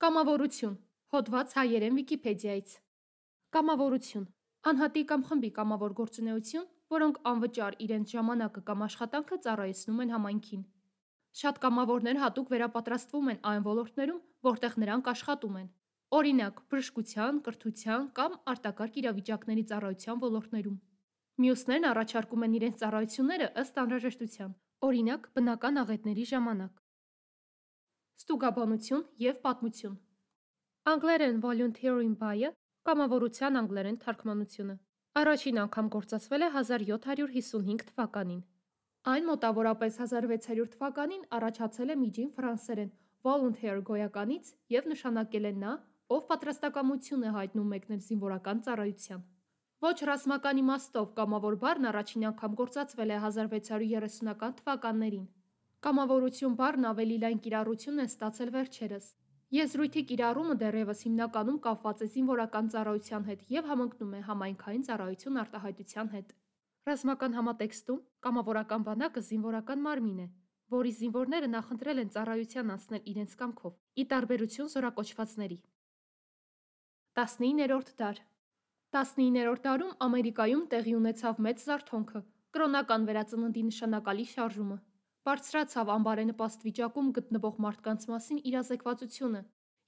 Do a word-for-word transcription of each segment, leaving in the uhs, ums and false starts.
Կամավորություն։ Հոդված հայերեն Վիկիպեդիայից։ Կամավորություն։ Անհատի կամ խմբի կամավոր գործունեություն, որոնք անվճար իրենց ժամանակը կամ աշխատանքը ծառայեցնում են համայնքին։ Շատ կամավորներ հատուկ վերապատրաստվում են այն ոլորտներում, որտեղ նրանք աշխատում են։ Օրինակ՝ բժշկության, կրթության կամ արտակարգ իրավիճակների ծառայության ոլորտներում։ Մյուսներն առաջարկում են իրենց ծառայությունները ըստ անհրաժեշտության, օրինակ՝ բնական աղետների ժամանակ։ Ստուգաբանություն և պատմություն։ Անգլերեն volunteering buy-ը կամավորության անգլերեն թարգմանությունը։ Առաջին անգամ գործածվել է հազար յոթ հարյուր հիսունհինգ թվականին։ Այն մոտավորապես հազար վեց հարյուր թվականին առաջացել է միջին ֆրանսերեն volunteer գոյականից և նշանակել է նա, ով պատրաստակամություն է հայտնում մեկնել զինվորական ծառայության։ Ոչ ռազմական իմաստով կամավոր բառն առաջին անգամ գործածվել է հազար վեց հարյուր երեսունական թվականներին։ Կամավորություն բառն ավելի լայն կիրառություն է ստացել վերջերս։ Եզրույթի կիրառումը դեռևս հիմնականում կապված է զինվորական ծառայության հետ և համընկնում է համայնքային ծառայություն արտահայտության հետ։ Ռազմական համատեքստում կամավորական բանակը զինվորական մարմին է, որի զինվորները նախընտրել են ծառայության անցնել իրենց կամքով, ի տարբերություն զորակոչվածների։ տասնիններորդ դար։ տասնիններորդ դարում Ամերիկայում տեղի ունեցավ մեծ զարթոնքը, կրոնական վերածննդի նշանակալի շարժումը։ Բարձրացավ անբարենպաստ վիճակում գտնվող մարդկանց մասին իրազեկվածությունը,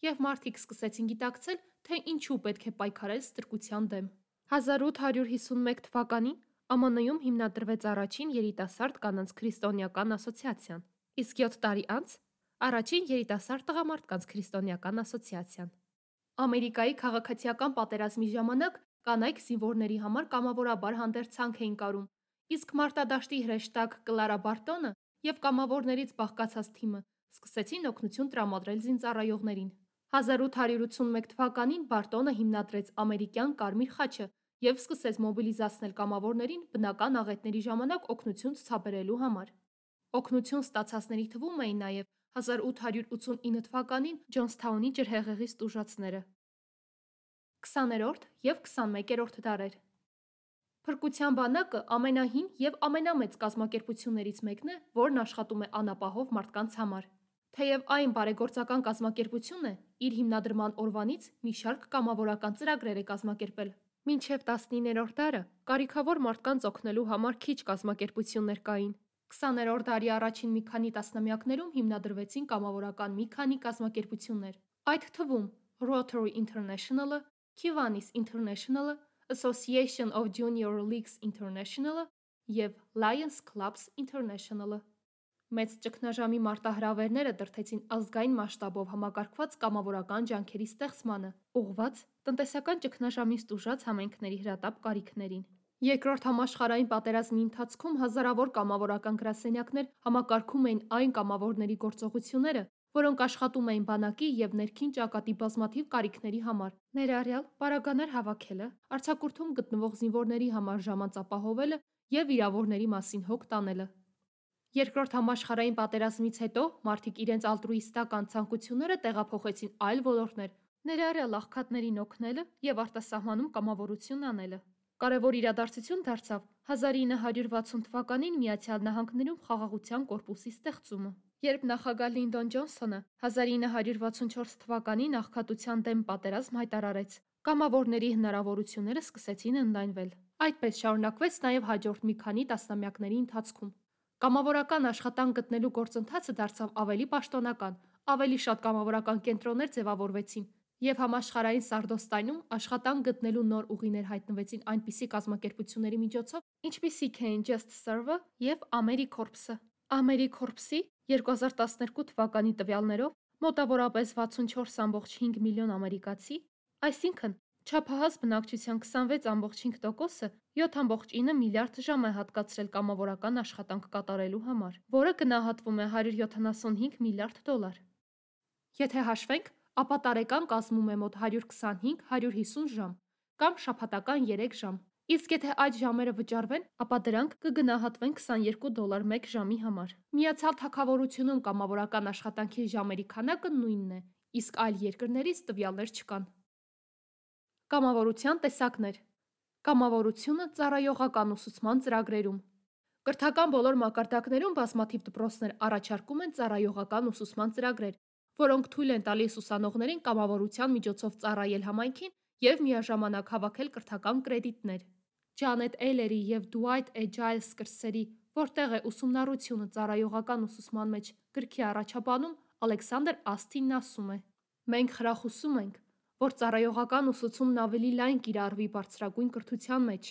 և մարդիկ սկսեցին գիտակցել, թե ինչու պետք է պայքարել ստրկության դեմ։ հազար ութ հարյուր հիսունմեկ թվականին Ամն-ում հիմնադրվեց առաջին երիտասարդ կանանց քրիստոնեական ասոցիացիան, իսկ յոթ տարի անց՝ առաջին երիտասարդ տղամարդկանց քրիստոնեական ասոցիացիան։ Ամերիկայի քաղաքացիական պատերազմի ժամանակ կանայք զինվորների համար կամավորաբար հանդերձանք էին կարում, իսկ մարտադաշտի հրեշտակ Կլարա Բարտոնը և կամավորներից բաղկացած թիմը սկսեցին օգնություն տրամադրել զինծառայողներին։ հազար ութ հարյուր ութսունմեկ թվականին Բարտոնը հիմնադրեց ամերիկյան Կարմիր խաչը և սկսեց մոբիլիզացնել կամավորներին բնական աղետների ժամանակ օգնություն ցուցաբերելու համար։ Օգնություն ստացածների թվում էին նաև հազար ութ հարյուր ութսունինը թվականին Ջոնսթաունի ջրհեղեղից տուժածները։ քսաներորդ և քսանմեկերորդ դարեր։ Փրկության բանակը ամենահին և ամենամեծ կազմակերպություններից մեկն է, որն աշխատում է անապահով մարդկանց համար։ Թեև այն բարեգործական կազմակերպություն է, իր հիմնադրման օրվանից մի շարք կամավորական ծրագրեր է կազմակերպել։ Մինչև տասնիններորդ դարը կարիքավոր մարդկանց օգնելու համար քիչ կազմակերպություններ կային։ քսաներորդ դարի առաջին մի քանի տասնամյակներում հիմնադրվեցին կամավորական մի քանի կազմակերպություններ, այդ թվում Rotary International-ը, Kiwanis International-ը, Association of Junior Leagues International-ը և Lions Clubs International-ը։ Մեծ ճգնաժամի մարտահրավերները դրդեցին ազգային մասշտաբով համակարգված կամավորական ջանքերի ստեղծմանը՝ ուղղված տնտեսական ճգնաժամից տուժած համայնքների հրատապ կարիքներին։ Երկրորդ համաշխարհային պատերազմի ընթացքում հազարավոր կամավորական գրասենյակներ համակարգում էին այն կամավորների գործողությունները, որոնք աշխատում էին բանակի և ներքին ճակատի բազմաթիվ կարիքների համար, ներառյալ պարագաներ հավաքելը, արձակուրդում գտնվող զինվորների համար ժամանց ապահովելը և վիրավորների մասին հոգ տանելը։ Երկրորդ համաշխարհային պատերազմից հետո մարդիկ իրենց ալտրուիստական ցանկությունները տեղափոխեցին այլ ոլորտներ, ներառյալ աղքատներին օգնելը և արտասահմանում կամավորություն անելը։ Կարևոր իրադարձություն դարձավ հազար ինը հարյուր վաթսուն թվականին Միացյալ Նահանգներում Խաղաղության կորպուսի ստեղծումը, երբ նախագահ Լինդոն Ջոնսոնը հազար ինը հարյուր վաթսունչորս թվականին աղքատության դեմ պատերազմ հայտարարեց, կամավորների հնարավորությունները սկսեցին ընդլայնվել։ Այդպես շարունակվեց նաև հաջորդ մի քանի տասնամյակների ընթացքում։ Կամավորական աշխատանք գտնելու գործընթացը դարձավ ավելի պաշտոնական, ավելի շատ կամավորական կենտրոններ ձևավորվեցին, և համաշխարհային սարդոստայնում աշխատանք գտնելու նոր ուղիներ հայտնվեցին այնպիսի կազմակերպությունների միջոցով, ինչպիսիք էին Just Serve-ը և AmeriCorps-ը։ AmeriCorps-ի երկու հազար տասներկու թվականի տվյալներով մոտավորապես վաթսունչորս կόμma հինգ միլիոն ամերիկացի, այսինքն չափահաս բնակչության քսանվեց կόμma հինգ տոկոսը յոթ կόμma ինը միլիարդ ժամ է հատկացրել կամավորական աշխատանք կատարելու համար, որը գնահատվում է հարյուր յոթանասունհինգ միլիարդ դոլար։ Եթե հաշվենք, ապա տարեկան կազմում է մոտ հարյուր քսանհինգ հարյուր հիսուն ժամ կամ շաբաթական երեք ժամ, իսկ եթե այդ ժամերը վճարվեն, ապա դրանք կգնահատվեն քսաներկու դոլար մեկ ժամի համար։ Միացյալ Թագավորությունում կամավորական աշխատանքի ժամերի քանակը նույնն է, իսկ այլ երկրներից տվյալներ չկան։ Կամավորության տեսակներ։ Կամավորությունը ծառայողական ուսուցման ծրագրերում։ Կրթական բոլոր մակարդակներում բազմաթիվ դպրոցներ առաջարկում են ծառայողական ուսուցման ծրագրեր, որոնք թույլ են տալիս ուսանողներին կամավորության միջոցով ծառայել համայնքին և միաժամանակ հավաքել կրթական կրեդիտներ։ Ջանետ Էյլերի և Դուայթ Է. Ջայլս կրսերի «Որտեղ է ուսումնառությունը ծառայողական ուսուցման մեջ» գրքի առաջաբանում Ալեքսանդր Ասթինն ասում է. «Մենք խրախուսում ենք, որ ծառայողական ուսուցումն ավելի լայն կիրառվի բարձրագույն կրթության մեջ,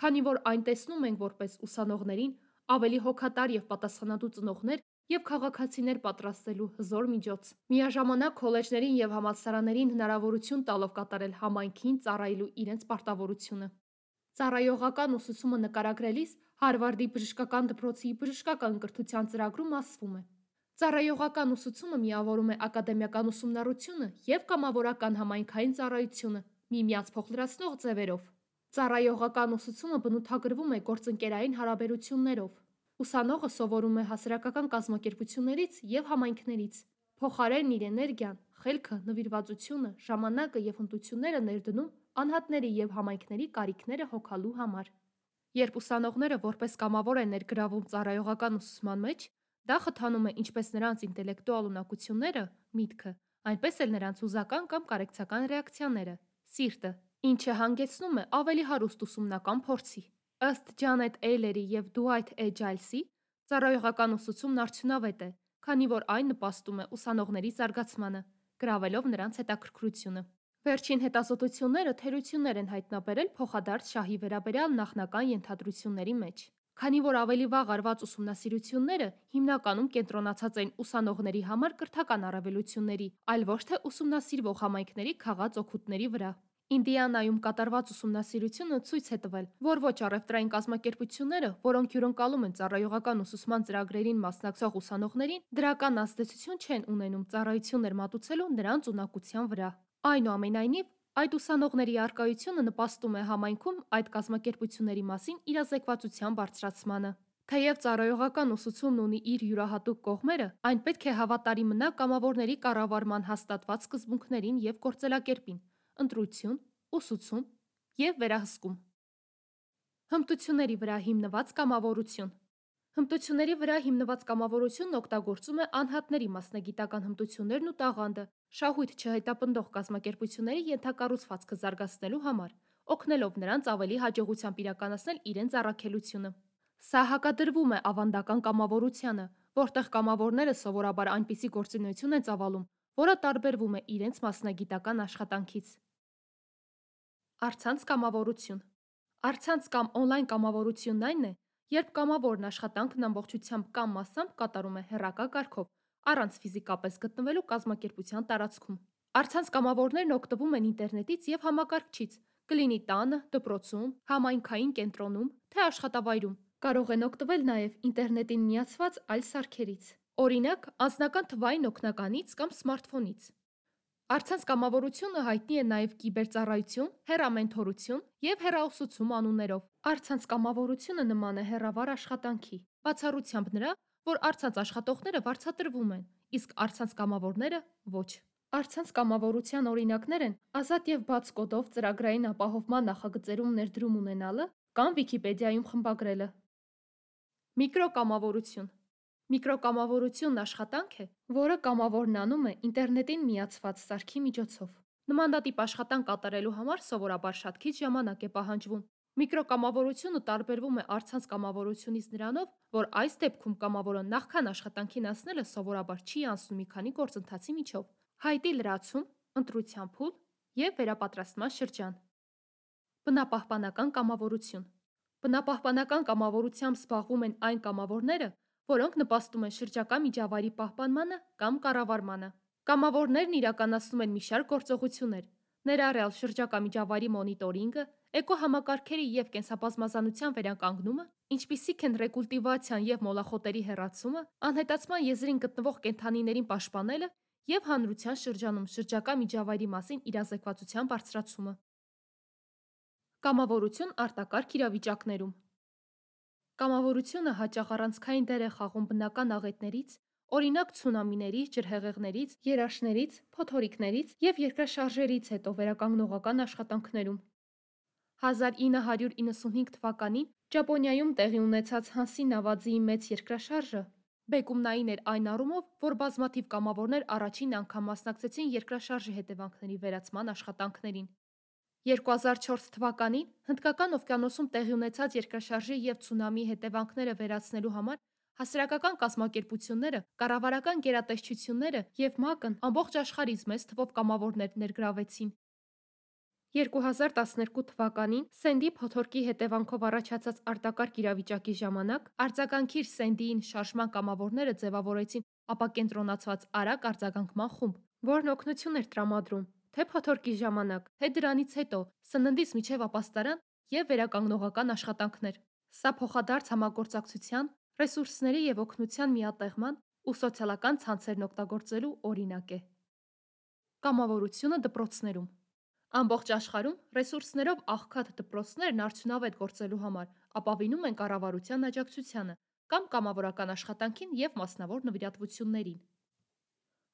քանի որ այն տեսնում ենք որպես ուսանողներին ավելի հոգատար և պատասխանատու ծնողներ և քաղաքացիներ պատրաստելու հզոր միջոց։ Միաժամանակ քոլեջներին և համալսարաններին հնարավորություն տալով կատարել համայնքին ծառայելու իրենց պարտավորությունը»։ Ծառայողական ուսուցումը նկարագրելիս Հարվարդի բժշկական դպրոցի բժշկական կրթության ծրագրում ասվում է. «Ծառայողական ուսուցումը միավորում է ակադեմիական ուսումնառությունը և կամավորական համայնքային ծառայությունը միմյանց փոխլրացնող ձևերով։ Ծառայողական ուսուցումը բնութագրվում է գործընկերային հարաբերություններով։ Ուսանողը սովորում է հասարակական կազմակերպություններից և համայնքներից, փոխարենն իր էներգիան, խելքը, նվիրվածությունը, ժամանակը և հմտությունները ներդնում անհատների և համայնքների կարիքները հոգալու համար»։ Երբ ուսանողները որպես կամավոր են ներգրավում ծառայողական ուսուցման մեջ, դա խթանում է ինչպես նրանց ինտելեկտուալ ունակությունները, միտքը, այնպես էլ նրանց հուզական կամ կարեկցական ռեակցիաները, սիրտը, ինչը հանգեցնում է ավելի հարուստ ուսումնական փորձի։ Ըստ Ջանետ Էյլերի և Դուայթ Է. Ջայլսի, ծառայողական ուսուցումն արդյունավետ է, քանի որ այն նպաստում է ուսանողների զարգացմանը, գրավելով նրանց հետաքրքրությունը։ Վերջին հետազոտությունները թերություններ են հայտնաբերել փոխադարձ շահի վերաբերյալ նախնական ենթադրությունների մեջ, քանի որ ավելի վաղ արված ուսումնասիրությունները հիմնականում կենտրոնացած էին ուսանողների համար կրթական առավելությունների, այլ ոչ թե ուսումնասիրվող համայնքների քաղած օգուտների վրա։ Ինդիանայում կատարված ուսումնասիրությունը ցույց է տվել, որ ոչ առևտրային կազմակերպությունները, որոնք հյուրընկալում են ծառայողական ուսուցման ծրագրերին մասնակցող ուսանողներին, դրական ազդեցություն չեն ունենում ծառայություններ մատուցելու նրանց ունակության վրա։ Այնուամենայնիվ, այդ ուսանողների առկայությունը նպաստում է համայնքում այդ կազմակերպությունների մասին իրազեկվածության բարձրացմանը։ Թեև ծառայողական ուսուցումն ունի իր յուրահատուկ կողմերը, այն պետք է հավատարիմ մնա կամավորների կառավարման հաստատված սկզբունքներին և գործելակերպին՝ ընտրություն, ուսուցում և վերահսկում։ Հմտությունների վրա հիմնված կամավորություն։ Հմտությունների վրա հիմնված կամավորությունն օգտագործում է անհատների մասնագիտական հմտություններն ու տաղանդը շահույթ չհետապնդող կազմակերպությունների ենթակառուցվածքը զարգացնելու համար, օգնելով նրանց ավելի հաջողությամբ իրականացնել իրենց առաքելությունը։ Սա հակադրվում է ավանդական կամավորությանը, որտեղ կամավորները սովորաբար այնպիսի գործունեություն են ծավալում, որը տարբերվում է իրենց մասնագիտական աշխատանքից։ Առցանց կամավորություն։ Առցանց կամ օնլայն կամավորությունն այն է, երբ կամավորն աշխատանքն ամբողջությամբ կամ մասամբ կատարում է հեռակա կարգով, առանց ֆիզիկապես գտնվելու կազմակերպության տարածքում։ Առցանց կամավորներն օգտվում են ինտերնետից և համակարգչից, կլինի տանը, դպրոցում, համայնքային կենտրոնում, թե աշխատավայրում, կարող են օգտվել նաև ինտերնետին միացված այլ սարքերից, օրինակ՝ անձնական թվային օգնականից կամ սմարթֆոնից։ Առցանց կամավորությունը հայտնի է նաև կիբերծառայություն, հեռամենթորություն և հեռաուսուցում անուններով։ Առցանց կամավորությունը նման է հեռավար աշխատանքի, բացառությամբ նրա, որ առցանց աշխատողները վարձատրվում են, իսկ առցանց կամավորները՝ ոչ։ Առցանց կամավորության օրինակներ են ազատ և բաց կոդով ծրագրային ապահովման նախագծերում ներդրում ունենալը կամ Վիքիպեդիայում խմբագրելը։ Միկրոկամավորություն։ Միկրոկամավորությունն աշխատանք է, որը կամավորն անում է ինտերնետին միացված սարքի միջոցով։ Նմանատիպ աշխատանք կատարելու համար սովորաբար շատ քիչ ժամանակ է պահանջվում։ Միկրոկամավորությունը տարբերվում է առցանց կամավորությունից նրանով, որ այս դեպքում կամավորը նախքան աշխատանքին անցնելը սովորաբար չի անցնում մի քանի գործընթացի միջով՝ հայտի լրացում, ընտրության փուլ և վերապատրաստման շրջան։ Բնապահպանական կամավորություն։ Բնապահպանական կամավորությամբ զբաղվում են այն կամավորները, որոնք նպաստում են շրջակա միջավայրի պահպանմանը կամ կառավարմանը։ Կամավորներն իրականացնում են մի շարք գործողություններ, ներառյալ շրջակա միջավայրի մոնիտորինգը, էկոհամակարգերի և կենսաբազմազանության վերականգնումը, ինչպիսիք են ռեկուլտիվացիան և մոլախոտերի հեռացումը, անհետացման եզրին գտնվող կենդանիներին պաշտպանելը և հանրության շրջանում շրջակա միջավայրի մասին իրազեկվածության բարձրացումը։ Կամավորություն արտակարգ իրավիճակներում։ Կամավորությունը հաճախ առանցքային դեր է խաղում բնական աղետներից, օրինակ՝ ցունամիներից, ջրհեղեղներից, երաշներից, փոթորիկներից և երկրաշարժերից հետո վերականգնողական աշխատանքներում։ հազար ինը հարյուր իննսունհինգ թվականին Ճապոնիայում տեղի ունեցած Հանսի նավաձիի մեծ երկրաշարժը Բեկումնային էր այն առումով, որ բազմաթիվ կամավորներ առաջին անգամ մասնակցեցին երկրաշարժի հետևանքների վերացման աշխատանքներին։ երկու հազար չորս թվականին Հնդկական օվկիանոսում տեղի ունեցած երկրաշարժի և ցունամիի հետևանքները վերացնելու համար հասարակական կազմակերպությունները, կառավարական գերատեսչությունները և ՄԱԿ-ն ամբողջ աշխարհից մեծ թվով կամավորներ ներգրավեցին։ երկու հազար տասներկու թվականին Սենդի փոթորկի հետևանքով առաջացած արտակարգ իրավիճակի ժամանակ արձագանքիր Սենդիին շարժման կամավորները ձևավորեցին ապակենտրոնացված արագ արձագանքման խումբ, որն օգնություն էր տրամադրում թե փոթորկի ժամանակ, թե դրանից հետո, սննդից մինչև ապաստարան և վերականգնողական աշխատանքներ։ Սա փոխադարձ համագործակցության, ռեսուրսների և օգնության միատեղման ու սոցիալական ցանցերն օգտագործելու օրինակ է։ Կամավորությունը դպրոցներում։ Ամբողջ աշխարհում ռեսուրսներով աղքատ դպրոցներն արդյունավետ գործելու համար ապավինում են կառավարության աջակցությանը կամ կամավորական աշխատանքին և մասնավոր նվիրատվություններին։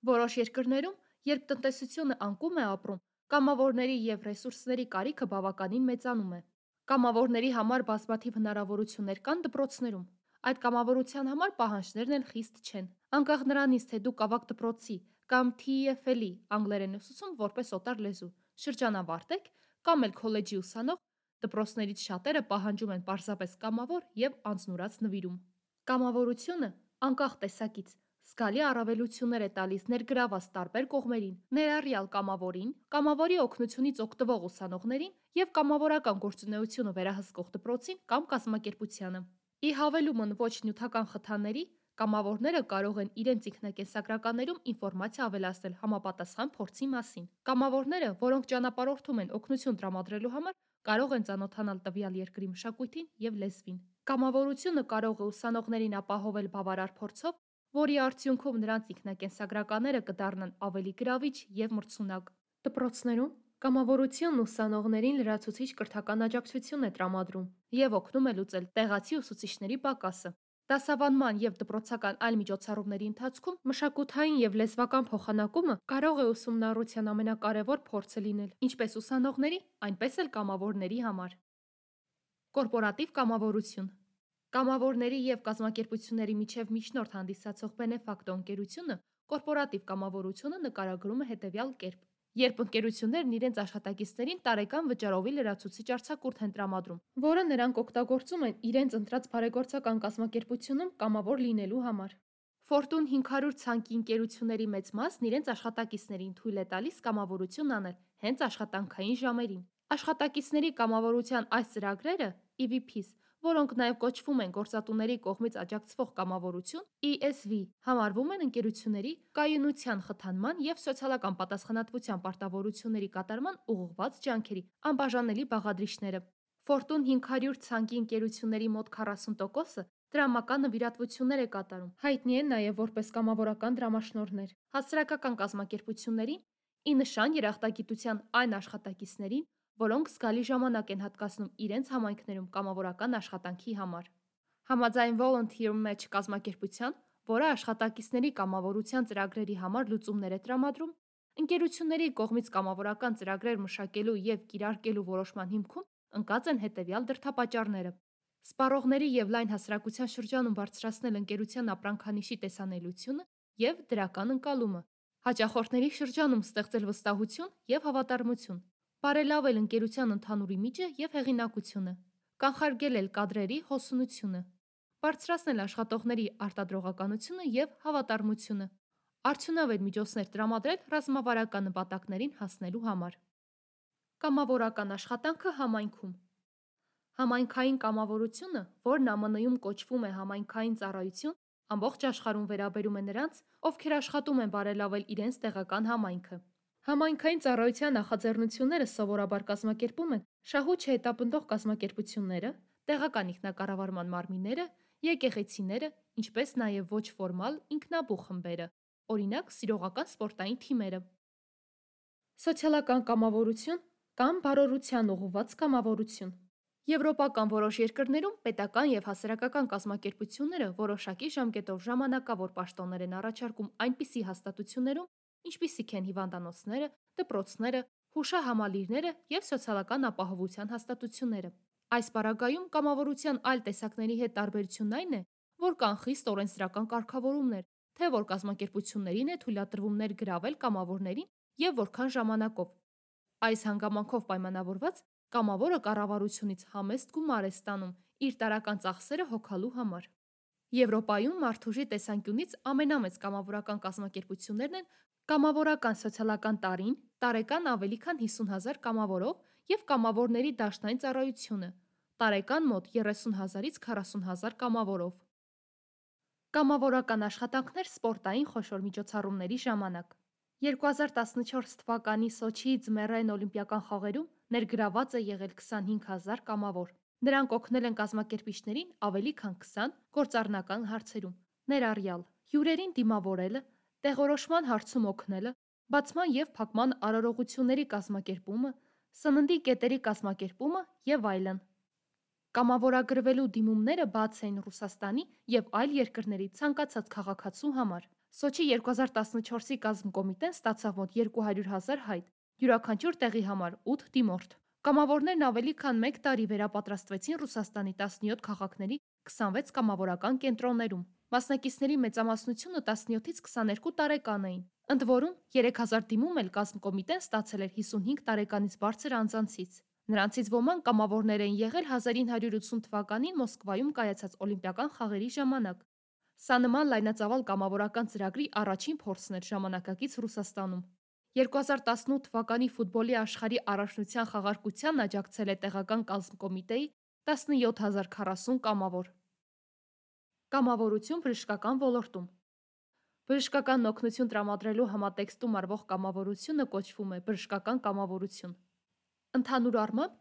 Որոշ երկրներում, երբ տնտեսությունը անկում է ապրում, կամավորների և ռեսուրսների կարիքը բավականին մեծանում է։ Կամավորների համար բազմաթիվ հնարավորություններ կան դպրոցներում։ Այդ կամավորության համար պահանջներն էլ խիստ չեն։ Անկախ նրանից, թե դուք ավագ դպրոցի կամ Թի Ի Էֆ Էլ-ի անգլերեն ուսուցում որպես օտար լեզու շրջանավարտ եք կամ էլ քոլեջի ուսանող, դպրոցներից շատերը պահանջում են պարզապես կամավոր և անձնուրաց նվիրում։ Կամավորությունը, անկախ տեսակից, զգալի առավելություններ է տալիս ներգրավված տարբեր կողմերին, ներառյալ կամավորին, կամավորի օգնությունից օգտվող ուսանողներին և կամավորական գործունեությունը վերահսկող դպրոցին կամ կազմակերպությանը։ Ի հավելումն ոչ նյութական խթանների, կամավորները կարող են իրենց ինքնակենսագրականներում ինֆորմացիա ավելացնել համապատասխան փորձի մասին։ Կամավորները, որոնք ճանապարհորդում են օգնություն տրամադրելու համար, կարող են ծանոթանալ տվյալ երկրի մշակույթին և լեզվին։ Կամավորությունը կարող է ուսանողներին ապահովել բավարար փորձով, որի արդյունքում նրանց ինքնակենսագրականները կդառնան ավելի գրավիչ և մրցունակ։ Դպրոցներում կամավորությունն ուսանողներին լրացուցիչ կրթական աջակցություն է տրամադրում և օգնում է լուծել տեղացի ուսուցիչների պակասը։ Դասավանդման և դպրոցական այլ միջոցառումների ընթացքում մշակութային և լեզվական փոխանակումը կարող է ուսումնառության ամենակարևոր փորձը լինել ինչպես ուսանողների, այնպես էլ կամավորների համար։ Կորպորատիվ կամավորություն։ Կամավորների և կազմակերպությունների միջև միջնորդ հանդիսացող Բենեֆակտո ընկերությունը կորպորատիվ կամավորությունը նկարագրում է հետևյալ կերպ. Երբ ընկերություններն իրենց աշխատակիցներին տարեկան վճարովի լրացուցիչ արձակուրդ են տրամադրում, որը նրանք օգտագործում են իրենց ընտրած բարեգործական կազմակերպությունում կամավոր լինելու համար։ Ֆորտուն հինգ հարյուր ցանկի ընկերությունների մեծ մասն իրենց աշխատակիցներին թույլ է տալիս կամավորություն անել հենց աշխատանքային ժամերին։ Աշխատակիցների կամավորության այս ծրագրերը Ի Վի Փիս, որոնք նաև կոչվում են գործատուների կողմից աջակցվող կամավորություն Ի Էս Վի, համարվում են ընկերությունների կայունության խթանման և սոցիալական պատասխանատվության պարտավորությունների կատարման ուղղված ջանքերի անբաժանելի բաղադրիչները։ Ֆորտուն հինգ հարյուր ցանկի ընկերությունների մոտ քառասուն տոկոսը տրամական նվիրատվություններ է կատարում, հայտնի են նաև որպես կամավորական դրամաշնորհներ, հասարակական կազմակերպություններին, ի նշան երախտագիտության այն աշխատակիցներին, որոնք զգալի ժամանակ են հատկացնում իրենց համայնքներում կամավորական աշխատանքի համար։ Համաձայն Volunteer Match կազմակերպության, որը աշխատակիցների կամավորության ծրագրերի համար լուծումներ է տրամադրում, ընկերությունների կողմից կամավորական ծրագրեր մշակելու և կիրարկելու որոշման հիմքում ընկած են հետևյալ դրդապատճառները. սպառողների և լայն հասարակության շրջանում բարձրացնել ընկերության ապրանքանիշի տեսանելիությունը և դրական ընկալումը, հաճախորդների շրջանում ստեղծել վստահություն և հավատարմություն, բարելավել ընկերության ընդհանուր իմիջը և հեղինակությունը, կանխարգելել կադրերի հոսունությունը, բարձրացնել աշխատողների արտադրողականությունը և հավատարմությունը, արդյունավետ միջոցներ տրամադրել ռազմավարական նպատակներին հասնելու համար։ Կամավորական աշխատանքը համայնքում։ Համայնքային կամավորությունը, որն Ամն Իում կոչվում է համայնքային ծառայություն, ամբողջ աշխարհում վերաբերում է նրանց, ովքեր աշխատում են բարելավել իրենց տեղական համայնքը։ Համայնքային ծառայության նախաձեռնությունները սովորաբար կազմակերպում են շահույթ չհետապնդող կազմակերպությունները, տեղական ինքնակառավարման մարմինները, եկեղեցիները, ինչպես նաև ոչ ֆորմալ ինքնաբուխ խմբերը, օրինակ՝ սիրողական սպորտային թիմերը։ Սոցիալական կամավորություն կամ բարօրության ուղղված կամավորություն։ Եվրոպական որոշ երկրներում պետական և հասարակական կազմակերպությունները որոշակի ժամկետով ժամանակավոր պաշտոններ են առաջարկում այնպիսի հաստատություններում, ինչպիսիք են հիվանդանոցները, դպրոցները, հուշահամալիրները և սոցիալական ապահովության հաստատությունները։ Այս պարագայում կամավորության այլ տեսակների հետ տարբերությունն այն է, որ կան խիստ օրենսդրական կարգավորումներ, թե որ կազմակերպություններին է թույլատրվում ներգրավել կամավորներին և որքան ժամանակով։ Այս հանգամանքով պայմանավորված կամավորը կառավարությունից համեստ գումար է ստանում իր տարրական ծախսերը հոգալու համար։ Եվրոպայում մարդուժի տեսանկյունից ամենամեծ կամավորական կազմակերպություններն են Կամավորական սոցիալական տարին, տարեկան ավելի քան հիսուն հազար կամավորով և Կամավորների դաշնային ծառայությունը, տարեկան մոտ երեսուն հազարից քառասուն հազար կամավորով։ Կամավորական աշխատանքներ սպորտային խոշոր միջոցառումների ժամանակ։ երկու հազար տասնչորս թվականի Սոչիի ձմեռային օլիմպիական խաղերում ներգրաված է եղել քսանհինգ հազար կամավոր։ Նրանք օգնել են կազմակերպիչներին ավելի քան քսան գործառնական հարցերում, ներառյալ հյուրերին դիմավորելը, տեղորոշման հարցում օգնելը, բացման և փակման արարողությունների կազմակերպումը, սննդի կետերի կազմակերպումը և այլն։ Կամավորագրվելու դիմումները բաց էին Ռուսաստանի և այլ երկրների ցանկացած քաղաքացու համար։ Սոչի երկու հազար տասնչորսի կազմկոմիտեն ստացավ մոտ երկու հարյուր հազար հայտ, յուրաքանչյուր տեղի համար ութ դիմորդ։ Կամավորներն ավելի քան մեկ տարի վերապատրաստվեցին Ռուսաստանի տասնյոթ քաղաքների քսանվեց կամավորական կենտրոններում։ Մասնակիցների մեծամասնությունը տասնյոթից քսաներկու տարեկան էին, ընդ որում երեք հազար դիմում էլ կազմկոմիտեն ստացել էր հիսունհինգ տարեկանից բարձր անձանցից։ Նրանցից ոմանք կամավորներ էին եղել հազար ինը հարյուր ութսուն թվականին Մոսկվայում կայացած օլիմպիական խաղերի ժամանակ։ Սա նման լայնածավալ կամավորական ծրագրի առաջին փորձն էր ժամանակակից Ռուսաստանում։ երկու հազար տասնութ թվականի ֆուտբոլի աշխարհի առաջնության խաղարկությանն աջակցել է տեղական կազմկոմիտեի տասնյոթ հազար քառասուն կամավոր։ Կամավորություն բժշկական ոլորտում։ Բժշկական օգնություն տրամադրելու համատեքստում արվող կամավորությունը կոչվում է բժշկական կամավորություն։ Ընդհանուր առմամբ,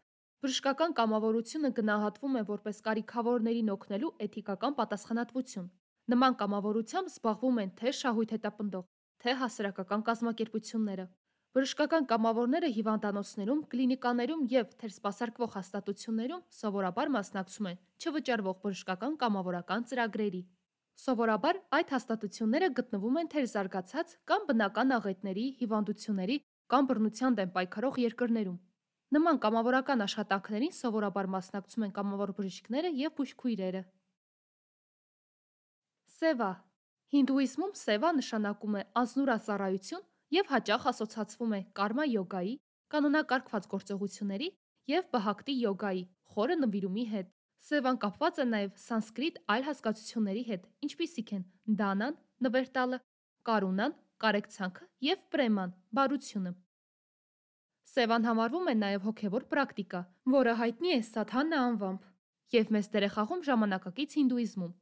բժշկական կամավորությունը գնահատվում է որպես կարիքավորներին օգնելու էթիկական պատասխանատվություն։ Նման կամավորությամբ զբաղվում են թե շահույթ հետապնդող, թե հասարակական կազմակերպությունները։ Բժշկական կամավորները հիվանդանոցներում, կլինիկաներում և թերսպասարկվող հաստատություններում սովորաբար մասնակցում են չվճարվող բժշկական կամավորական ծրագրերի։ Սովորաբար այդ հաստատությունները գտնվում են թերզարգացած կամ բնական աղետների, հիվանդությունների կամ բռնության դեմ պայքարող երկրներում։ Նման կամավորական աշխատանքներին սովորաբար մասնակցում են կամավոր բժիշկները և բուժքույրերը։ Սևա։ Հինդուիզմում սևա նշանակում է անձնուրաց ծառայություն և հաճախ ասոցացվում է կարմա յոգայի, կանոնակարգված գործողությունների և բհակտի յոգայի խորը նվիրումի հետ։ Սևան կապված է նաև սանսկրիտ այլ հասկացությունների հետ, ինչպիսիք են դանան նվեր տալը, կարունան կարեկցանքը և պրեման բարությունը։ Սևան համարվում է նաև հոգևոր պրակտիկա, որը հայտնի է Սադհանա անվամբ և մեծ դեր է խաղում ժամանակակից հինդուիզմում։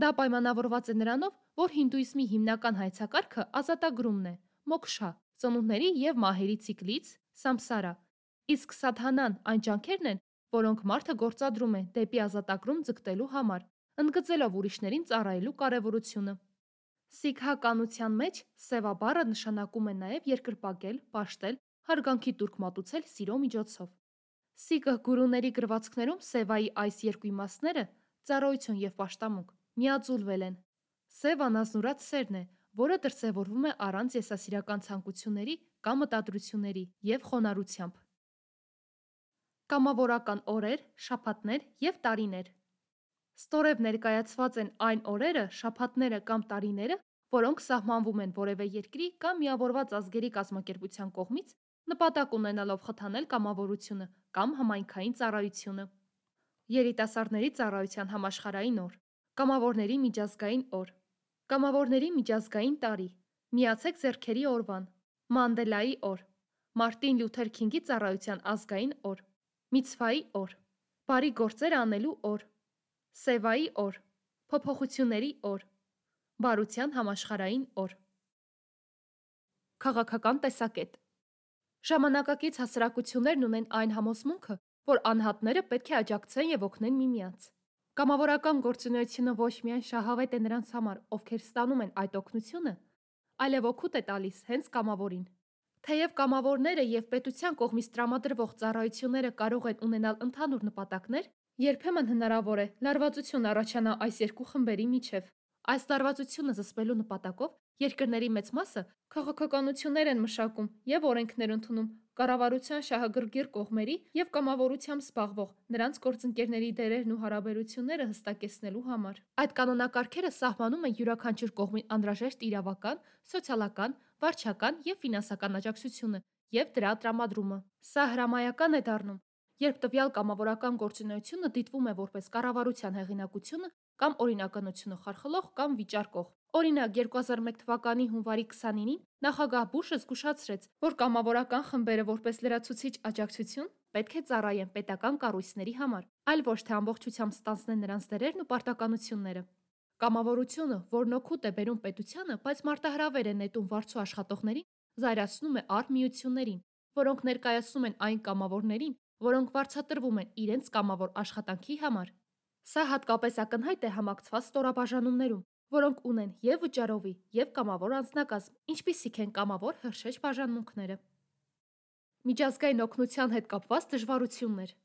Դա պայմանավորված է նրանով, որ հինդուիզմի հիմնական հայեցակարգը ազատագրումն է, մոքշա, ծնունդների և մահերի ցիկլից, սամսարա, իսկ սադհանան այն ջանքերն են, որոնք մարդը գործադրում է դեպի ազատագրում ձգտելու համար, ընդգծելով ուրիշներին ծառայելու կարևորությունը։ Սիկհականության մեջ սևա բառը նշանակում է նաև երկրպագել, պաշտել, հարգանքի տուրք մատուցել սիրո միջոցով։ Սիկհ գուրուների գրվածքներում սևայի այս երկու իմաստները՝ ծառայություն և պաշտամունք, միաձուլվել են։ Սևան ազնուրաց սերն է, որը դրսևորվում է առանց եսասիրական ցանկությունների կամ մտադրությունների և խոնարհությամբ։ Կամավորական օրեր, շաբաթներ և տարիներ։ Ստորև ներկայացված են այն օրերը, շաբաթները կամ տարիները, որոնք սահմանվում են որևէ երկրի կամ միավորված ազգերի կազմակերպության կողմից՝ նպատակ ունենալով խթանել կամավորությունը կամ համայնքային ծառայությունը։ Երիտասարդների ծառայության համաշխարհային օր, Կամավորների միջազգային օր, Կամավորների միջազգային տարի, Միացեք ձեռքերի օրվան, Մանդելայի օր, Մարտին Լյութեր Քինգի ծառայության ազգային օր, Միցվայի օր, Բարի գործեր անելու օր, Սևայի օր, Փոփոխությունների օր, Բարության համաշխարհային օր։ Քաղաքական տեսակետ։ Ժամանակակից հասարակություններն ունեն այն համոզմունքը, որ անհատները պետք է աջակցեն և օգնեն միմյանց։ Կամավորական գործունեությունը ոչ միայն շահավետ է նրանց համար, ովքեր ստանում են այդ օգնությունը, այլև օգուտ է տալիս հենց կամավորին։ Թեև կամավորները և պետության կողմից տրամադրվող ծառայությունները կարող են ունենալ ընդհանուր նպատակներ, երբեմն հնարավոր է լարվածություն առաջանա այս երկու խմբերի միջև։ Այս լարվածությունը զսպելու նպատակով երկրների մեծ մասը քաղաքականություններ են մշակում և օրենքներ ընդունում, կառավարության շահագրգիռ կողմերի և կամավորությամբ զբաղվող նրանց գործընկերների դերերն ու հարաբերությունները հստակեցնելու համար։ Այդ կանոնակարգերը սահմանում են յուրաքանչյուր կողմին անհրաժեշտ իրավական, սոցիալական, վարչական և ֆինանսական աջակցությունը և դրա տրամադրումը։ Սա հրամայական է դառնում, երբ տվյալ կամավորական գործունեությունը դիտվում է որպես կառավարության հեղինակությունը կամ օրինականությունը խարխլող կամ վիճարկող։ Օրինակ, երկու հազար մեկ թվականի հունվարի քսանինին նախագահ Բուշը զգուշացրեց, որ կամավորական խմբերը որպես լրացուցիչ աջակցություն պետք է ծառայեն պետական կառույցների համար, այլ ոչ թե ամբողջությամբ ստանձնեն նրանց դերերն ու պարտականությունները։ Կամավորությունը, որն օգուտ է բերում պետությանը, բայց մարտահրավեր է նետում վարձու աշխատողներին, զայրացնում է առ միություններին, որոնք ներկայացնում են այն կամավորներին, որոնք վարձատրվում են իրենց կամավոր աշխատանքի համար։ Սա հատկապես ակնհայտ է համակցված ստորաբաժանումներում, որոնք ունեն և վճարովի, և կամավոր անձնակազմ, ինչպիսիք են կամավոր հրշեջ բաժանմունքները։ Միջազգային օգնության հետ կապված դժվարություններ։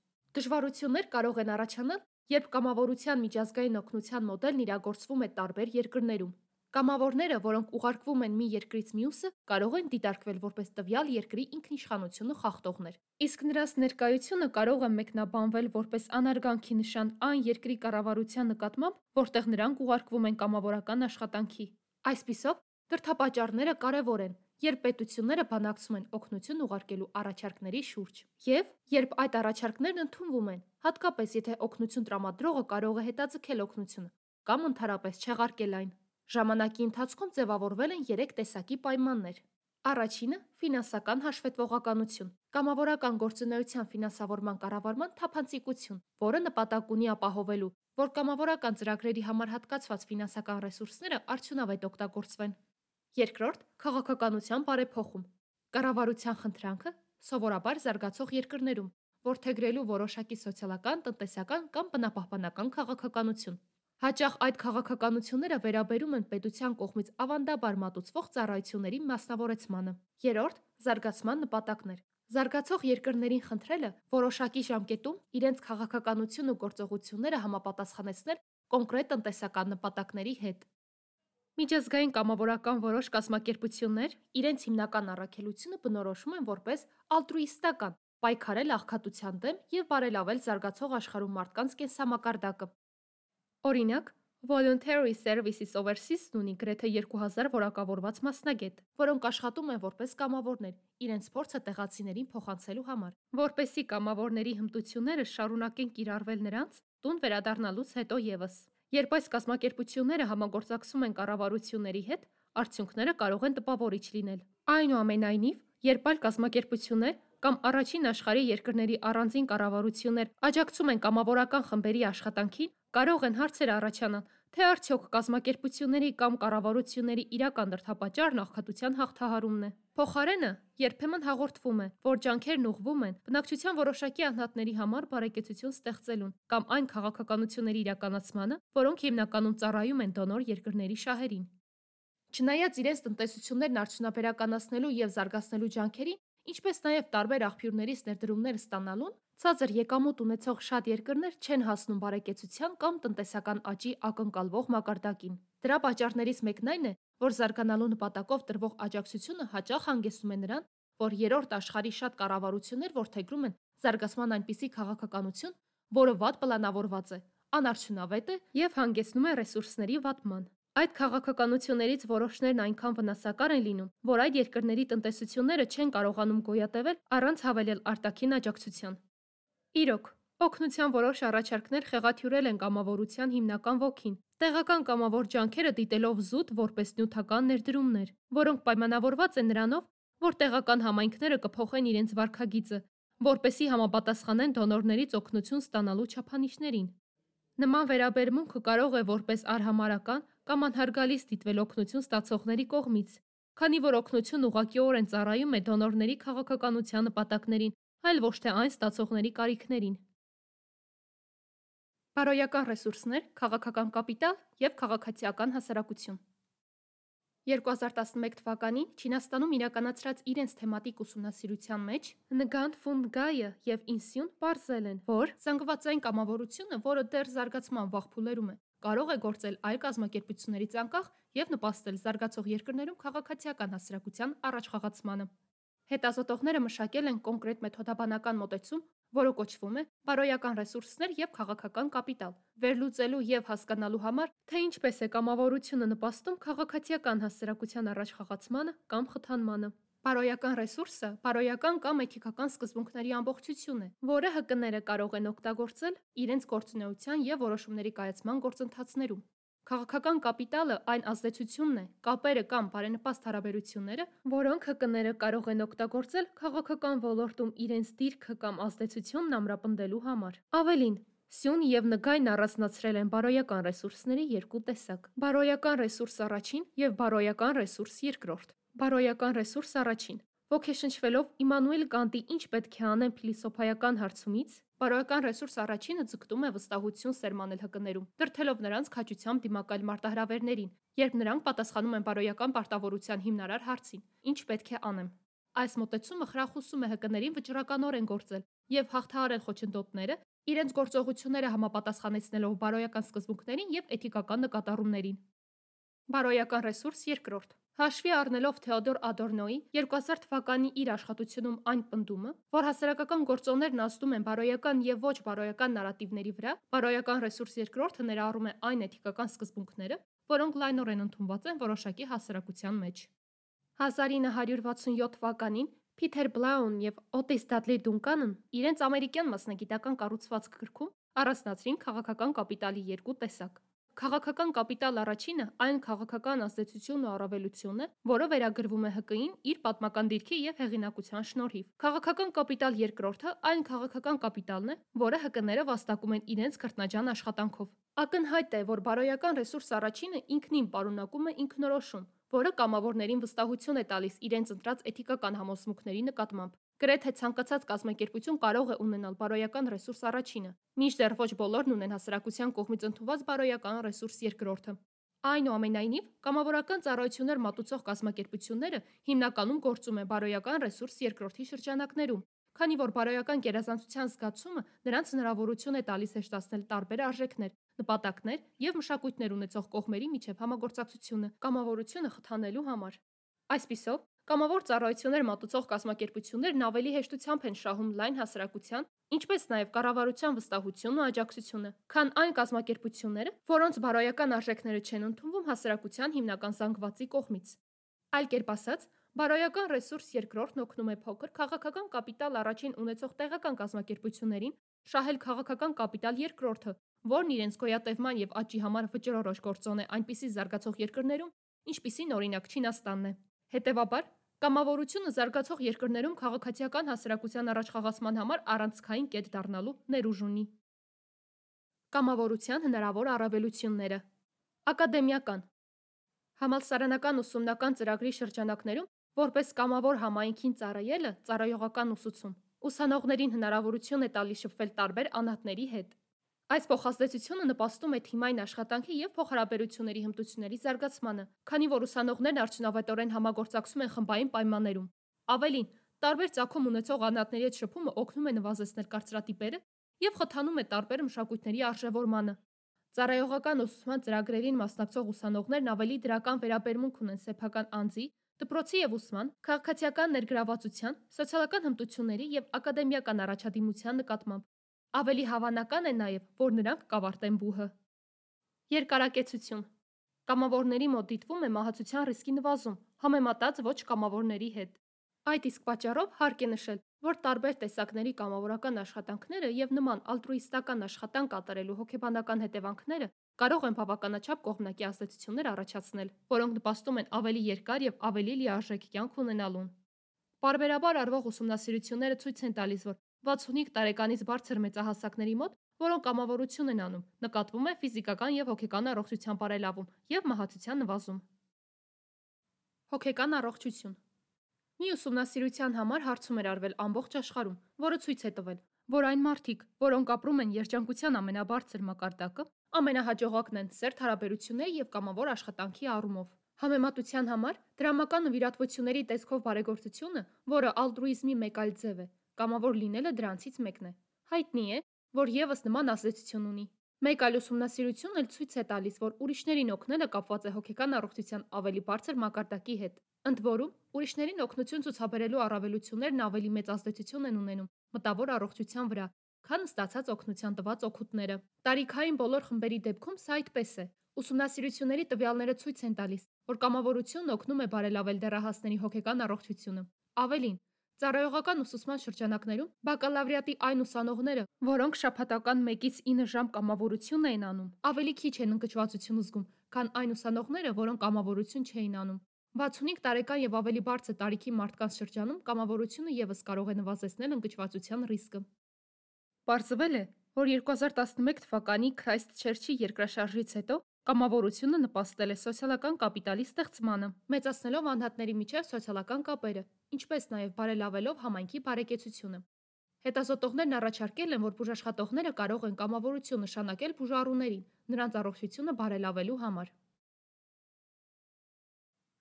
Դժվարություններ կարող են առաջանալ, երբ կամավորության միջազգային օգնության մոդելն իրագործվում է տարբեր երկրներում։ Կամավորները, որոնք ուղարկվում են մի երկրից մյուսը, կարող են դիտարկվել որպես տվյալ երկրի ինքնիշխանությունը խախտողներ, իսկ նրանց ներկայությունը կարող է մեկնաբանվել որպես անարգանքի նշան այն երկրի կառավարության նկատմամբ, որտեղ նրանք ուղարկվում են կամավորական աշխատանքի։ Այսպիսով, դրդապատճառները կարևոր են, երբ պետությունները բանակցում են օգնություն ուղարկելու առաջարկների շուրջ, և երբ այդ առաջարկներն ընդունվում են, հատկապես եթե օգնություն տրամադրողը կարող է հետաձգել օգնությունը կամ ընդհանրապես չեղարկել այն։ Ժամանակի ընթացքում ձևավորվել են երեք տեսակի պայմաններ։ Առաջինը՝ ֆինանսական հաշվետվողականություն, կամավորական գործունեության ֆինանսավորման կառավարման թափանցիկություն, որը նպատակ ունի ապահովելու, որ կամավորական ծրագրերի համար հատկացված ֆինանսական ռեսուրսները արդյունավետ օգտագործվեն։ Երկրորդ՝ քաղաքականության բարեփոխում, կառավարության խնդրանքը, սովորաբար զարգացող երկրներում, որդեգրելու որոշակի սոցիալական, տնտեսական կամ բնապահպանական քաղաքականություն։ Հաճախ այդ քաղաքականությունները վերաբերում են պետության կողմից ավանդաբար մատուցվող ծառայությունների մասնավորեցմանը։ Երրորդ՝ զարգացման նպատակներ, զարգացող երկրներին խնդրելը որոշակի ժամկետում իրենց քաղաքականությունն ու գործողությունները համապատասխանեցնել կոնկրետ տնտեսական նպատակների հետ։ Միջազգային կամավորական որոշ կազմակերպություններ իրենց հիմնական առաքելությունը բնորոշում են որպես ալտրուիստական՝ պայքարել աղքատության դեմ և բարելավել զարգացող աշխարհում մարդկանց կենսամակարդակը։ Օրինակ, Voluntary Services Overseas-ն ունի գրեթե երկու հազար որակավորված մասնագետ, որոնք աշխատում են որպես կամավորներ, իրենց փորձը տեղացիներին փոխանցելու համար, որպեսզի կամավորների հմտությունները շարունակեն կիրառվել նրանց տուն վերադառնալուց հետո ևս։ Երբ այս կազմակերպությունները համագործակցում են կառավարությունների հետ, արդյունքները կարող են տպավորիչ լինել։ Այնուամենայնիվ, երբ այլ կազմակերպություններ կամ առաջին աշխարհի երկրների առանձին կառավարություններ աջակցում են կամավորական խմբերի աշխատանքին, կարող են հարցեր առաջանալ, թե արդյոք կազմակերպությունների կամ կառավարությունների իրական դրդապատճառն աղքատության հաղթահարումն է։ Փոխարենը, երբեմն հաղորդվում է, որ ջանքերն ուղղվում են բնակչության որոշակի անհատների համար բարեկեցություն ստեղծելուն կամ այն քաղաքականությունների իրականացմանը, որոնք հիմնականում ծառայում են դոնոր երկրների շահերին։ Չնայած իրենց տնտեսություններն արդյունաբերականացնելու և զարգացնելու ջանքերին, ինչպես նաև տարբեր աղբյուրներից ներդրումներ ստանալուն, ցածր եկամուտ ունեցող շատ երկրներ չեն հասնում բարեկեցության կամ տնտեսական աճի ակնկալվող մակարդակին։ Դրա պատճառներից մեկն այն է, որ զարգանալու նպատակով տրվող աջակցությունը հաճախ հանգեցնում է նրան, որ երրորդ աշխարհի շատ կառավարություններ որդեգրում են զարգացման այնպիսի քաղաքականություն, որը վատ պլանավորված է, անարդյունավետ է և հանգեցնում է ռեսուրսների վատման։ Այդ քաղաքականություններից որոշներն այնքան վնասակար են լինում, որ այդ երկրների տնտեսությունները չեն կարողանում գոյատևել առանց հավելյալ արտաքին աջակցության։ Իրոք, օգնության որոշ առաջարկներ խեղաթյուրել են կամավորության հիմնական ոգին, տեղական կամավոր ջանքերը դիտելով զուտ որպես նյութական ներդրումներ, որոնք պայմանավորված են նրանով, որ տեղական համայնքները կփոխեն իրենց վարքագիծը, որպեսզի համապատասխանեն դոնորներից օգնություն ստանալու չափանիշներին։ Նման վերաբերմունքը կարող է որպես արհամարհական կամ անհարգալից դիտվել օգնություն ստացողների կողմից, քանի որ օգնությունն ուղղակիորեն ծառայում է դոնորների քաղաքականության նպատակներին, այլ ոչ թե այն ստացողների կարիքներին։ Բարոյական ռեսուրսներ, քաղաքական կապիտալ և քաղաքացիական հասարակություն։ երկու հազար տասնմեկ թվականին Չինաստանում իրականացրած իրենց թեմատիկ ուսումնասիրության մեջ Ngand Fund Gaya և Insun պարզել են, որ զանգվածային կամավորությունը, որը դեռ զարգացման վաղ փուլերում է, կարող է գործել այլ կազմակերպություններից անկախ և նպաստել զարգացող երկրներում քաղաքացիական հասարակության առաջխաղացմանը։ Հետազոտողները մշակել են կոնկրետ մեթոդաբանական մոտեցում, որը կոչվում է բարոյական ռեսուրսներ եւ քաղաքական կապիտալ, վերլուծելու եւ հասկանալու համար, թե ինչպես է կամավորությունը նպաստում քաղաքացիական հասարակության առաջխաղացմանը կամ խթանմանը։ Բարոյական ռեսուրսը բարոյական կամ էթիկական սկզբունքների ամբողջություն է, որը Հ Կ-ները կարող են օգտագործել իրենց գործունեության եւ որոշումների կայացման գործընթացներում։ Քաղաքական կապիտալը այն ազդեցությունն է, կապերը կամ բարենպաստ հարաբերությունները, որոնք Հ Կ-ները կարող են օգտագործել քաղաքական ոլորտում իրենց դիրքը կամ ազդեցությունն ամրապնդելու համար։ Ավելին, Սյուն եւ Նգայն առանձնացրել են բարոյական ռեսուրսների երկու տեսակ՝ բարոյական ռեսուրս առաջին եւ բարոյական ռեսուրս երկրորդ։ Բարոյական ռեսուրս առաջին։ Ոգեշնչվելով Իմմանուել Կանտի «Ինչ պետք է անեմ» փիլիսոփայական հարցումից, բարոյական ռեսուրս առաջինը ձգտում է վստահություն սերմանել Հ Կ-ներում, դրդելով նրանց քաջությամբ դիմակայել մարտահրավերներին, երբ նրանք պատասխանում են բարոյական պարտավորության հիմնարար հարցին՝ «Ինչ պետք է անեմ»։ Այս մոտեցումը խրախուսում է Հ Կ-ներին վճռականորեն գործել եւ հաղթահարել խոչընդոտները, իրենց գործողությունները համապատասխանեցնելով բարոյական սկզբունքներին եւ էթիկական նկատառումներին։ Բարոյական ռեսուրս երկրորդ։ Հաշվի առնելով Թեոդոր Ադորնոյի երկու հազար թվականի իր աշխատությունում այն պնդումը, որ հասարակական գործոններն ազդում են բարոյական եւ ոչ բարոյական նարատիվների վրա, բարոյական ռեսուրս երկրորդը ներառում է այն էթիկական սկզբունքները, որոնք լայնորեն ընդունված են որոշակի հասարակության մեջ։ հազար ինը հարյուր վաթսունյոթ թվականին Փիթեր Բլաուն եւ Օտիս Դադլի Դունկանն իրենց ամերիկյան մասնագիտական կառուցվածք գրքում առանձնացրին քաղաքական կապիտալի երկու տեսակ։ Քաղաքական կապիտալ առաջինը այն քաղաքական ազդեցությունն ու առավելությունն է, որը վերագրվում է Հ Կ-ին իր պատմական դիրքի եւ հեղինակության շնորհիվ։ Քաղաքական կապիտալ երկրորդը այն քաղաքական կապիտալն է, որը Հ Կ-ները վաստակում են իրենց քրտնաջան աշխատանքով։ Ակնհայտ է, որ բարոյական ռեսուրս առաջինը ինքնին պարունակում է ինքնորոշում, որը կամավորներին վստահություն է տալիս իրենց ընտրած էթիկական համոզմունքների նկատմամբ։ Գրեթե ցանկացած կազմակերպություն կարող է ունենալ բարոյական ռեսուրս առաջինը, մինչդեռ ոչ բոլորն ունեն հասարակության կողմից ընդունված բարոյական ռեսուրս երկրորդը։ Այնուամենայնիվ, կամավորական ծառայություններ մատուցող կազմակերպությունները հիմնականում գործում են բարոյական ռեսուրս երկրորդի շրջանակներում, քանի որ բարոյական գերազանցության զգացումը նրանց հնարավորություն է տալիս հեշտացնել տարբեր արժեքներ, նպատակներ եւ մշակույթներ ունեցող կողմերի միջև համագործակցությունը կամավորությունը խթանելու համար։ Այսպիսով, կամավոր ծառայություններ մատուցող կազմակերպություններն ավելի հեշտությամբ են շահում լայն հասարակության, ինչպես նաև կառավարության վստահությունն ու աջակցությունը, քան այն կազմակերպությունները, որոնց բարոյական արժեքները չեն ընդունվում հասարակության հիմնական զանգվածի կողմից։ Այլ կերպ ասած, բարոյական ռեսուրս երկրորդն օգնում է փոքր քաղաքական կապիտալ առաջին ունեցող տեղական կազմակերպություններին շահել քաղաքական կապիտալ երկրորդը, որն իրենց գոյատևման եւ աճի համար վճռորոշ գործոն է այնպիսի զարգացող երկրներում, ինչպիսին օրինակ Չինաստանն է։ Հետևաբար, կամավորությունը զարգացող երկրներում քաղաքացիական հասարակության առաջխաղացման համար առանցքային կետ դառնալու ներուժ ունի։ Կամավորության հնարավոր առավելությունները։ Ակադեմիական համալսարանական ուսումնական ծրագրի շրջանակներում որպես կամավոր համայնքին ծառայելը ծառայողական ուսուցում ուսանողներին հնարավորություն է տալիս շփվել տարբեր անհատների հետ։ Այս փոխազդեցությունը նպաստում է թիմային աշխատանքի եւ փոխհարաբերությունների հմտությունների զարգացմանը, քանի որ ուսանողներն արդյունավետորեն համագործակցում են խմբային պայմաններում։ Ավելին, տարբեր ծագում ունեցող անհատների հետ շփումը օգնում է նվազեցնել կարծրատիպերը եւ խթանում է տարբեր մշակույթների արժեվորմանը։ Ծառայողական ուսուցման ծրագրերին մասնակցող ուսանողներն ավելի դրական վերաբերմունք ունեն սեփական անձի, դպրոցի եւ ուսման, քաղաքացիական ներգրավվածության, սոցիալական հմտությունների եւ ակադեմիական առաջադիմության նկատմամբ։ Ավելի հավանական է նաև, որ նրանք կավարտեն բուհը։ Երկարակեցություն։ Կամավորների մոտ դիտվում է մահացության ռիսկի նվազում, համեմատած ոչ կամավորների հետ։ Այդ իսկ պատճառով հարկ է նշել, որ տարբեր տեսակների կամավորական աշխատանքները եւ նման ալտրուիստական աշխատանք կատարելու հոգեբանական հետևանքները կարող են բավականաչափ կողմնակի ազդեցություններ առաջացնել, որոնք նպաստում են ավելի երկար եւ ավելի լիարժեք կյանք ունենալուն։ Պարբերաբար արվող ուսումնասիրությունները ցույց են տալիս, որ վաթսունհինգ տարեկանից բարձր մեծահասակների մոտ, որոնք կամավորություն են անում, նկատվում է ֆիզիկական եւ հոգեկան առողջության բարելավում եւ մահացության նվազում։ Հոգեկան առողջություն։ Մի ուսումնասիրության համար հարցում էր արվել ամբողջ աշխարհում, որը ցույց է տվել, որ այն մարդիկ, որոնք ապրում են երջանկության ամենաբարձր մակարդակը, ամենահաջողակն են սերտ հարաբերությունների եւ կամավոր աշխատանքի առումով։ Համեմատության համար դրամական նվիրատվությունների տեսքով բարեգործությունը, որը ալտրուիզմի մեկ այլ ձև է, կամավոր լինելը դրանցից մեկն է։ Հայտնի է, որ եւս նման ազդեցություն ունի։ Մեկ այլ ուսումնասիրություն էլ ցույց է տալիս, որ ուրիշներին օգնելը կապված է հոգեկան առողջության ավելի բարձր մակարդակի հետ։ Ընդ որում, ուրիշներին օգնություն ցուցաբերելու առավելություններն ավելի մեծ ազդեցություն են ունենում մտավոր առողջության վրա, քան ստացած օգնության տված օգուտները։ Տարիքային բոլոր խմբերի դեպքում սա այդպես է։ Ուսումնասիրությունների տվյալները ցույց են տալիս, որ կամավորությունն օգնում է բարելավել դեռահասների հոգեկան առողջությունը։ Ավելին, ծառայողական ուսուցման շրջանակներում բակալավրիատի այն ուսանողները, որոնք շաբաթական մեկից ինը ժամ կամավորություն էին անում, ավելի քիչ են ընկճվածություն զգում, քան այն ուսանողները, որոնք կամավորություն չէին անում։ վաթսունհինգ տարեկան եւ ավելի բարձր տարիքի մարդկանց շրջանում կամավորությունը եւս կարող է նվազեցնել ընկճվածության ռիսկը։ Պարզվել է, որ երկու հազար տասնմեկ թվականի Քրայսթչերչի երկրաշարժից հետո կամավորությունը նպաստել է սոցիալական կապիտալի ստեղծմանը, մեծացնելով անհատների միջև սոցիալական կապերը, ինչպես նաև բարելավելով համայնքի բարեկեցությունը։ Հետազոտողներն առաջարկել են, որ բուժաշխատողները կարող են կամավորություն նշանակել բուժառուներին, նրանց առողջությունը բարելավելու համար։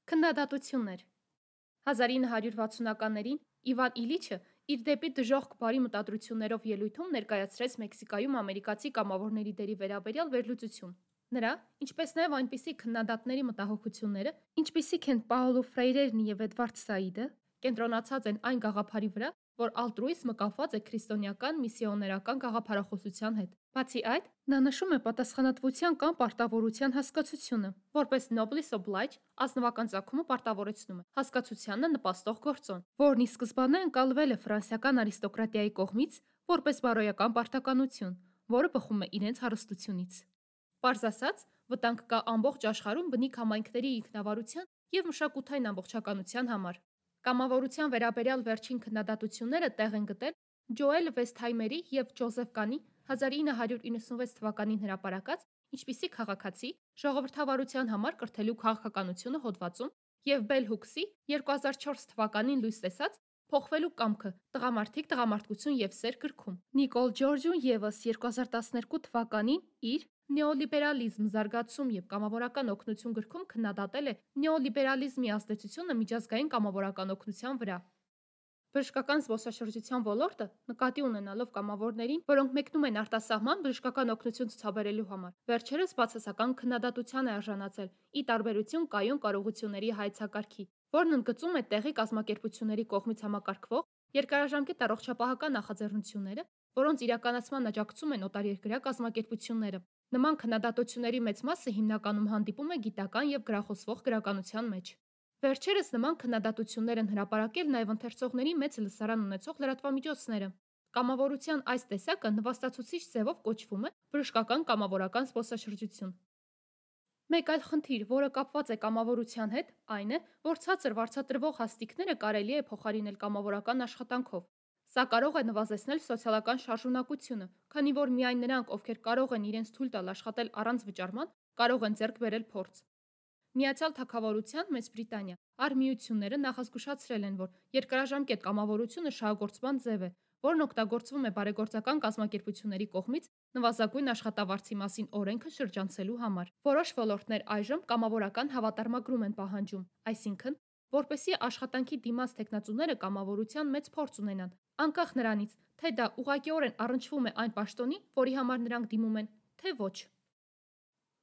Քննադատություններ։ հազար ինը հարյուր վաթսունականներին Իվան Իլիչը իր դեպի դժոխք բարի մտադրություններով ելույթում ներկայացրեց Մեքսիկայում ամերիկացի կամավորների դերի վերաբերյալ վերլուծություն։ Նրա, ինչպես նաև այնպիսի քննադատների մտահոգությունները, ինչպիսիք են Պաոլո Ֆրեյրերն և Էդվարդ Սաիդը, կենտրոնացած են այն գաղափարի վրա, որ ալտրուիզմը կապված է քրիստոնեական միսիոներական գաղափարախոսության հետ։ Բացի այդ, նա նշում է պատասխանատվության կամ պարտավորության հասկացությունը, որպես noblis oblige, ազնվական ծագումը պարտավորեցնում է, հասկացությանը նպաստող գործոն, որն ի սկզբանե ընկալվել է ֆրանսիական արիստոկրատիայի կողմից որպես բարոյական պարտականություն, որը բխում է իրենց հարստությունից։ Պարզ ասած, վտանգ կա ամբողջ աշխարհում բնիկ համայնքների ինքնավարության և մշակութային ամբողջականության համար։ Կամավորության վերաբերյալ վերջին քննադատությունները տեղ են գտել Ջոել Վեսթհայմերի և Ջոզեֆ Կանի հազար ինը հարյուր իննսունվեց թվականին հրապարակած «Ինչպիսի քաղաքացի ժողովրդավարության համար կրթելու քաղաքականությունը» հոդվածում և Բել Հուքսի երկու հազար չորս թվականին լույս տեսած «Փոխվելու կամքը. տղամարդիկ, տղամարդկություն և սեր» գրքում։ Նիկոլ Ջորջուն ևս երկու հազար տասներկու թվականին իր «Նեոլիբերալիզմ, զարգացում և կամավորական օգնություն» գրքում քննադատել է նեոլիբերալիզմի ազդեցությունը միջազգային կամավորական օգնության վրա։ Բժշկական զբոսաշրջության ոլորտը, նկատի ունենալով կամավորներին, որոնք մեկնում են արտասահման բժշկական օգնություն ցուցաբերելու համար, վերջերս բացասական քննադատության է արժանացել՝ ի տարբերություն կայուն կարողությունների հայեցակարգի, որն ընդգծում է տեղի կազմակերպությունների կողմից համակարգվող երկարաժամկետ առողջապահական նախաձեռնությունները, որոնց իրականացման աջակցում են օտարերկրյա կազմակերպությունները։ Նման քննադատությունների մեծ մասը հիմնականում հանդիպում է գիտական և գրախոսվող գրականության մեջ։ Վերջերս նման քննադատություններ են հրապարակել նաև ընթերցողների մեծ լսարան ունեցող լրատվամիջոցները։ Կամավորության այս տեսակը նվաստացուցիչ ձևով կոչվում է բժշկական կամավորական զբոսաշրջություն։ Մեկ այլ խնդիր, որը կապված է կամավորության հետ, այն է, որ ցածր վարձատրվող հաստիքները կարելի է փոխարինել կամավորական աշխատանքով։ Սա կարող է նվազեցնել սոցիալական շարժունակությունը, քանի որ միայն նրանք, ովքեր կարող են իրենց թույլ տալ աշխատել առանց վճարման, կարող են ձեռք բերել փորձ։ Միացյալ Թագավորության Մեծ Բրիտանիա արհմիությունները նախազգուշացրել են, որ երկարաժամկետ կամավորությունը շահագործման ձև է, որն օգտագործվում է բարեգործական կազմակերպությունների կողմից նվազագույն աշխատավարձի մասին օրենքը շրջանցելու համար։ Որոշ ոլորտներ այժմ կամավորական հավատարմագրում են պահանջում, այսինքն, որպեսզի աշխատանքի դիմաց թեկնածուները կամավորության մեծ փորձ ունենան, անկախ նրանից, թե դա ուղղակիորեն առնչվում է այն պաշտոնի, որի համար նրանք դիմում են, թե ոչ։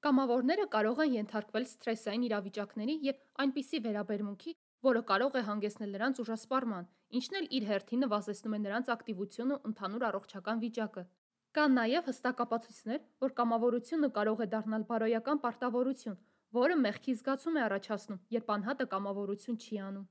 Կամավորները կարող են ենթարկվել սթրեսային իրավիճակների և այնպիսի վերաբերմունքի, որը կարող է հանգեցնել նրանց ուժասպառման, ինչն էլ իր հերթին նվազեցնում է նրանց ակտիվությունն ու ընդհանուր առողջական վիճակը։ Կան նաև հստակ ապացույցներ, որ կամավորությունը կարող է դառնալ բարոյական պարտավորություն, որը մեղքի զգացում է առաջացնում, երբ անհատը կամավորություն չի անում։